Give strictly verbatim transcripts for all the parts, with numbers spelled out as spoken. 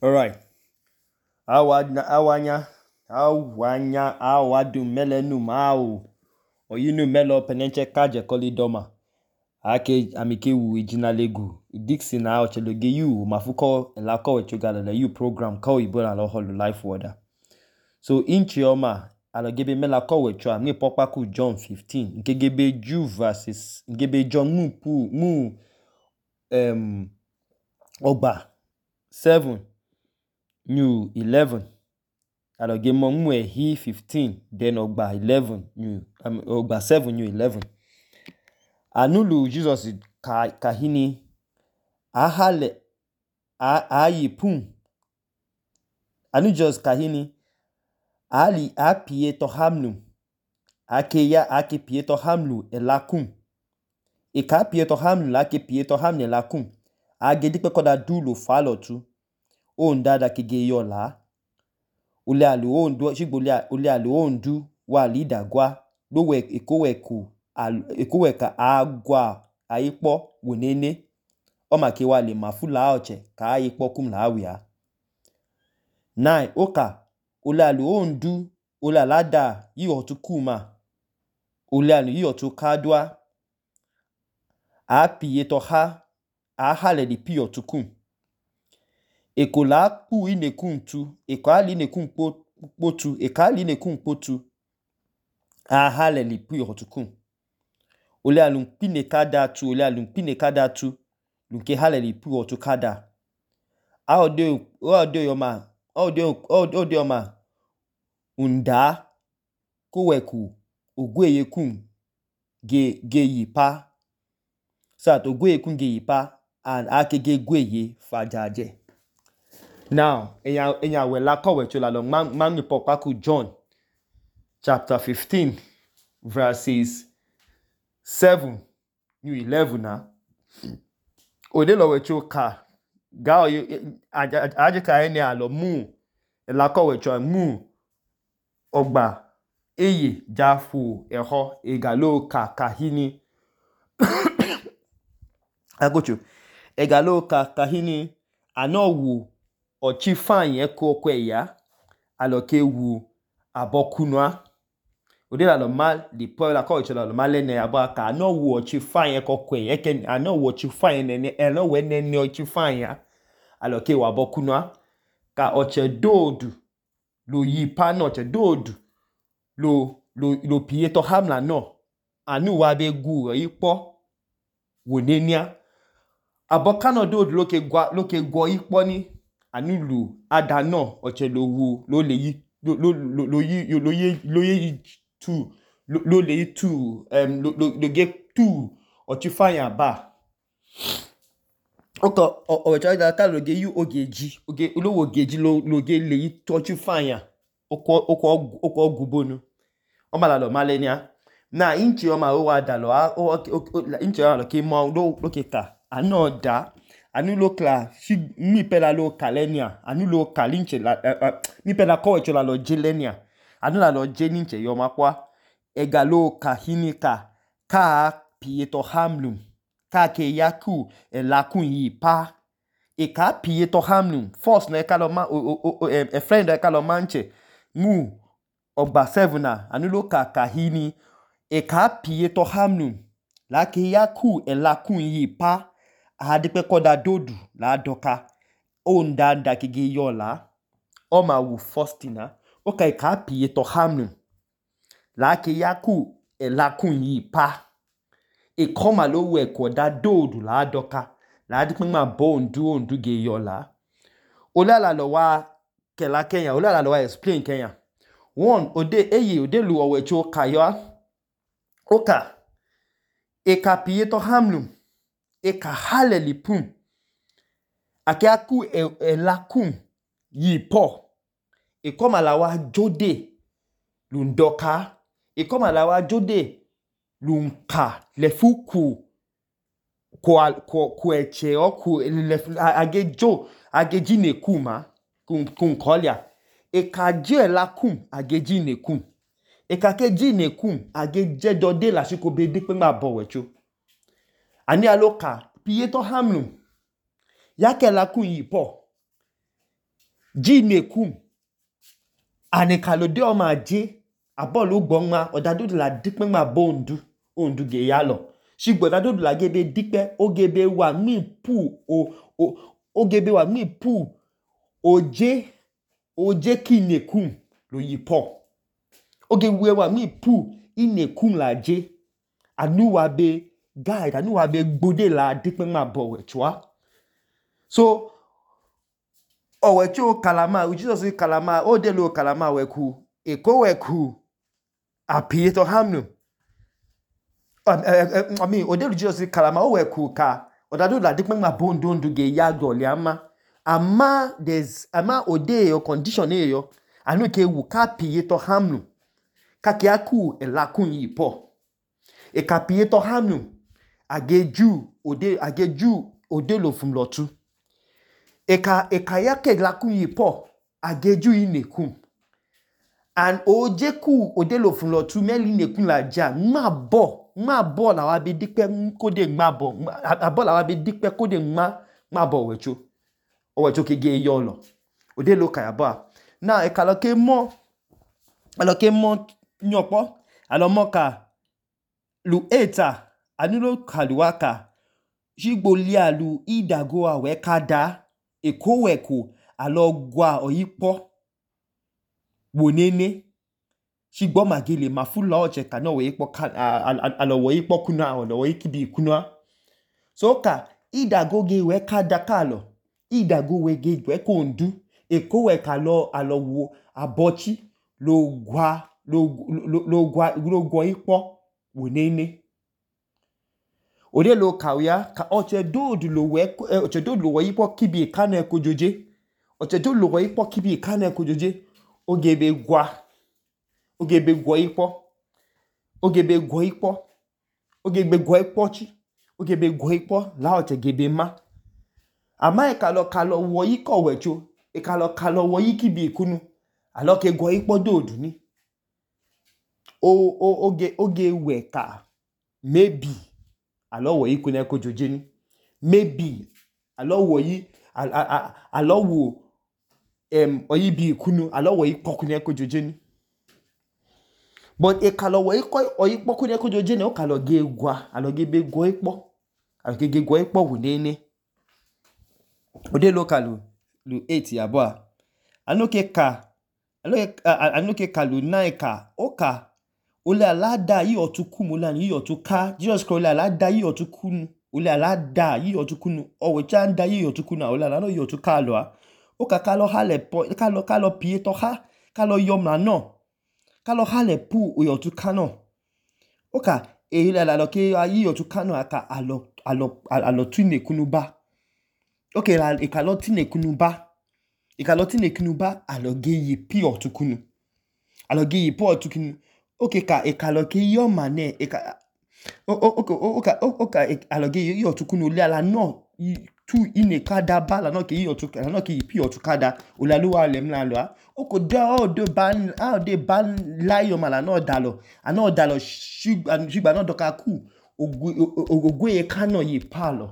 Alright. Awanya, awanya, awanya, awadu melenu mao. Oyinu melo penenche kaje kolidoma. Ake amike wu ijina legu. Dixie na ocheloge yu mafuko elako wechogala la yu program ko ibola lo holu life order. So inchi oma alogebe melako wecho mi pokpa ku John fifteen. Nkegebe Jew verses nkegebe John mu pu mu um ogba seven new eleven. Aloge mo mu ehi fifteen then ogba eleven new um, ogba seven new eleven. Anulu Jesus ka kahini ahale a ayi pum. Anu Jesus kahini ali apie to hamlu. Ake ya ake pie to hamlu elakum. E ka pie to hamlu ake pie to hamlu elakum. Age dikpe koda dulo falo tu. O ndada kege yola. Ule alu o ndu shigbo ule alu o ndu wa lida gwa. Lowe ekoweku ekoweka agwa aipo wenene. Oma ke wale mafula oche ka aipo kum la awia. Nine oka ule alu o ndu ule alada yi otu kuma. Ule alu yi otu kadwa. A piye to ha a hale di pi otu kum. Eko la pu ine kum tu. Eko ali ine kum po, po tu. Eko ali ine kum po tu. A hale li pi otu kum. Ule alu pine kada tu. Ule alu pine kada tu. Lunke hale li pi otu kada. A ode, ode yoma. Ode, ode yoma. Unda koweku ogweye kum ge, ge yipa. Sat ogweye kum ge yipa. And ake ge gweye fajaje. Now, enya enya we la ko we chola lo man man pokpa ku John chapter fifteen verses seven to eleven na. Ode lo we choka ga o aje ka ene alo mu la ko we cho mu ogba eye jafu eho egalo ka kahini agocho egalo ka kahini anowu ochi fan yen ko kwe ya aloke wu abokunwa ode la lo mal di po la ko chola lo mal ne abo aka no wu ochi fan yen ko kwe ye ken ano wu ochi fan yen ne e no we ne ne ochi fan ya aloke wa abokunwa ka oche dodu lo yi pa no oche dodu lo lo lo pie to hamla no anu wa be gu ipo wonenia abokano dodu loke gwa loke gwo ipo ni anulu adano oche lo wu lo le yi lo lo lo yi lo ye lo ye tu lo le yi tu um lo lo get tu ochi fire ba oko o cha da ta lo ge yu ogeji oge olowo ogeji lo lo ge le yi ochi fire oko oko oko gubonu o mala lo malenia na inchi o ma o wa da lo o inchi o lo ke mo lo lo ke ta anoda anu lo kla si mi pela lo kalenia anu lo kalinche la uh, uh, mi pela ko echo la lo jelenia anu la lo jeninche yo makwa egalo kahinika ka pieto hamlum ka ke yaku e lakun yi pa e ka pieto hamlum first na e ka lo ma o, o, o, e friend e ka lo manche mu ogba seven na anu lo ka kahini e ka pieto hamlum la ke yaku e lakun yi pa adipe koda dodu la doka onda nda kege yola o ma wu first na o ka ka pie to hamnu la ke yaku e lakun yi pa e koma lo we koda dodu la doka la adipe ma bo ndu ondu ge yola ola la lo wa kela Kenya ola la lo wa explain Kenya one ode eye ode lu owe cho kayo oka e ka pie to hamnu e ka hale li pum ake aku e, e lakum yi po e koma la wa jode lundoka e koma la wa jode lunka le fuku ko ko ko eche o ku le age jo age jine kuma kun kun kolia e ka je lakum age jine kum e ka ke jine kum age je dode la siko be di pe ma bo wecho ani aloka pie to hamlum yake la kun yi po ji nekum ane kalode ọma je abọọlụ gbọnma ọdadodu la dikpe nma bondu ondu ge yalọ shigbo ọdadodu la gebe dikpe ogebe wa nmi pu o o ogebe wa nmi pu oje oje ki nekum lo yipo ogebe wa nmi pu inekum la je anu wa be guide anu wa be gbode la dikpe nma bọwe chua so ọwẹcho kalama Jesus kalama odelo kalama weku eko weku apieto hamnu I mean odelu Jesus kalama oweku ka odado la dikpe nma bondo ndu ge yago liama ama there's ama ode yo condition e yo anu ke wu ka pieto hamnu ka ke aku elakun yipo e ka pieto hamnu ageju ode ageju odelo fumlotu eka eka yake lakun yipo ageju inekum and ojeku odelo funlo tu meli nekun la ja ma bo ma bo la wa be dikpe kode ma bo abo la wa be dikpe kode ma ma bo wecho owecho ke ge yolo odelo ka yabo na eka lo ke mo alo ke mo nyopo alo mo ka lu eta anulo kaluaka shigbo li alu idago awe kada ekoweku alo gwa oyipo wonene shigbo magile mafula oche kana we yipo alo we yipo kuna alo we kibi kuna so ka idago ge we kada kalo idago we ge we kondu ekoweka alo alo wo abochi lo gwa lo lo gwa lo gwa yipo wonene ode lo kawya ka oche dodu lo we oche dodu lo we yipo kibi kana ekojoje oche dodu lo we yipo kibi kana ekojoje ogebe gwa ogebe gwa yipo ogebe gwa yipo ogebe gwa yipo chi ogebe gwa yipo la oche gebe ma ama e kalo kalo wo yiko wecho e kalo kalo wo yikibi kunu alo ke gwa yipo dodu ni o o oge oge we ka maybe alo wo yi kuna ekojoje ni maybe alo wo yi alo wo em oyi bi kunu alo wo yi pokuna ekojoje ni but e kalo wo yi ko oyi pokuna ekojoje ni o kalo ge gwa alo ge be gwa ipo alo ge ge gwa ipo wonene ode lo kalu lu eight yabo a anoke ka anoke kalu nine ka oka ole alada yi otukun ole yi otuka Jesus Christ ole alada yi otukun ole alada yi otukun owe cha nda yi otukun na ole alada yi otuka lo a oka kalo hale po kalo kalo pieto ha kalo yomna no kalo hale pu oyotuka no oka e ile alalo ke yi otuka no aka alo alo alo tune kunuba okay la e kalo tine kunuba e kalo tine kunuba alo ge yi pi otukunu alo ge yi pi otukunu okay ka e kalo ke yoma ne e ka okay okay okay alo ge yi otukunu le ala no tu ine kada bala no ke yi otukada no ke yi pi otukada olaluwa le mla lo a oko da o do ban a de ban layo mala no dalo ano dalo shigba shigba no doka ku ogwe e kano yi palo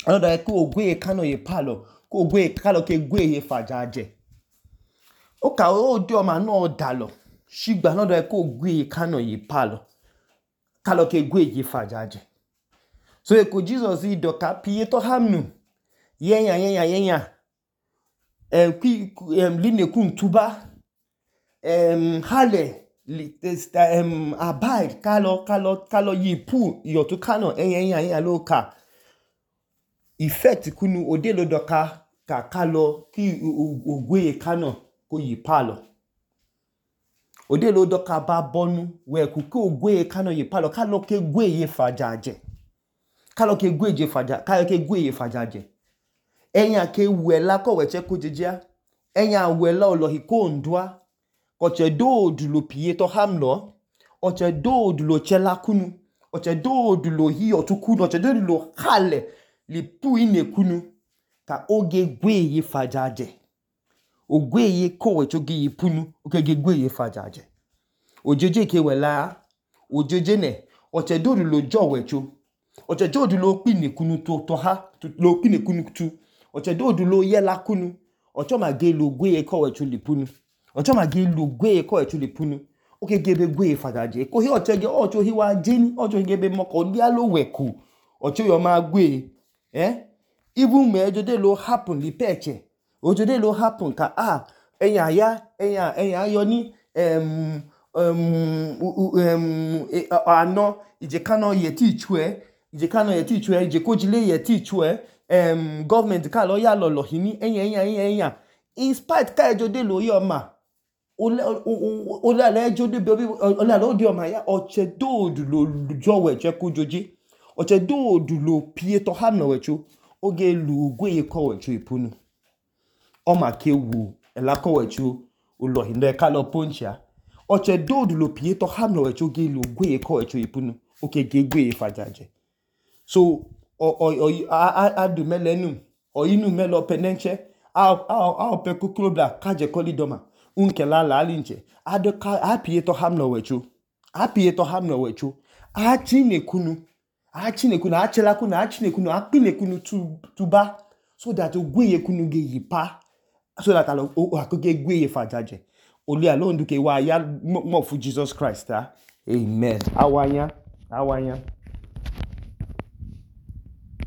ano da ku ogwe e kano yi palo ku ogwe kalo ke gwe ye fajaje oka o do ma no dalo shigba no da ku ogwe e kano yi palo kalo ke gwe ye fajaje so eko Jesus i doka pieto hamnu yenya yenya yenya em ki em linekun tuba em hale li em abide kalo kalo kalo yipu yotu kano yenya yenya yenya loka effect kunu odelo doka ka kalo ki ogwe kano ko yipalo odelo doka ba bonu we ku ko ogwe kano yipalo kalo ke gwe ye fajaje kalo ke gwe je faja kalo ke gwe ye fajaje enya ke wela ko weche ko jejia enya wela olohi ko ndwa oche dodu lo pieto hamlo oche dodu lo chela kunu oche dodu lo hi otukunu oche dodu lo hale li pu ine kunu ka oge gwe ye fajaje ogwe ye ko wecho ge yipunu oge ge gwe ye fajaje ojeje ke wela ojeje ne oche dodu lo jo wecho oche dodu lo pine kunu to to ha lo pine kunu tu oche dodu lo yela kunu ọchọma gelu gweye kọwẹcho lipunu ọchọma gelu gweye kọwẹcho lipunu oke gebe gweye fadaje kohi ọchẹgẹ ọchọ hi wa jeni ọchọ gebe mọkọ lialo wẹku ọchọ yọ ma gweye eh even me ejode lo happen lipeche ojode lo happen ka ah ẹyà ya ẹyà ẹyà ayọ ní um um um àná ìjẹkánná yẹ tí ìtú ẹ ìjẹkánná yẹ tí ìtú ẹ ìjẹkójìlé yẹ tí ìtú ẹ um government ká lọ yà lọlọ yìí ní ẹyà ẹyà ẹyà ẹyà in spite ká ejode lo yọ ma olálẹ ejode bẹbí olálẹ ó di ọmọ ya ọchẹ dóòdù ló jọwọ ẹjẹ kó jọjẹ ọchẹ dóòdù ló pie tọ ham nọ wẹcho oge lu gweye kọwẹcho ìpunu ọmọ akewu ẹlà kọwẹcho olọhìndọ ẹka lọ poncha ọchẹ dóòdù ló pie tọ ham nọ wẹcho oge lu gweye kọwẹcho ìpunu oke ge gweye fajaje so adùmẹlẹnu ọyinu mẹlọ pẹnẹnchẹ aọpẹ koklobla kájẹ kọlidọma unkẹla làálìnchẹ apie tọ ham nọ wẹcho apie tọ ham nọ wẹcho achinekunu achinekunu achelakunu achinekunu akpinekunu tuba so that ogweye kunu ge yipa so that akoge gweye fajaje oli alonduke wa ya mọfu Jesus Christ ah amen awanya awanya